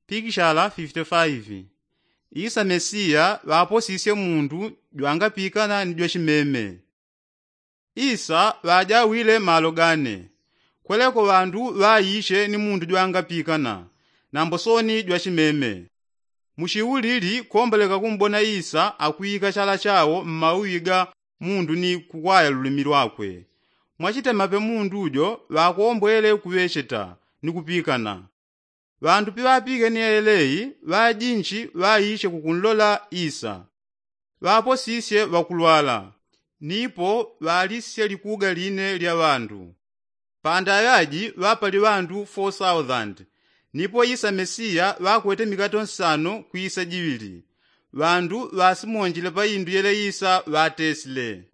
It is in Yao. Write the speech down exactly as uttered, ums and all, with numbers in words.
Pikishala fifite faivi. Isa mesiya ŵaposisye mundu jwangapikana ni jwachimeme. Isa ŵajawile malo gane. Kweleko ŵandu ŵaishe ni mundu jwangapikana, nambo soni jwachimeme. Muchiulili komboleka kumbona isa akwika chala chawo mmauwi ga mundu ni kukwaya lulimi lwakwe. Mwachitemape mundu jo ŵakombwele kuŵecheta ni kupikana. Ŵandu piŵapikene yelei ŵajinchi ŵaishe kukunlola isa. Ŵaposisye ŵakulwala, nipo ŵalisisye likuga line lya ŵandu. Pandaŵaji ŵapali ŵandu four thousand. Nipo isa mesiya ŵakwete mikato nsano kwisa jiŵili. Ŵandu ŵasimonjile pa indu yele isa ŵatesile.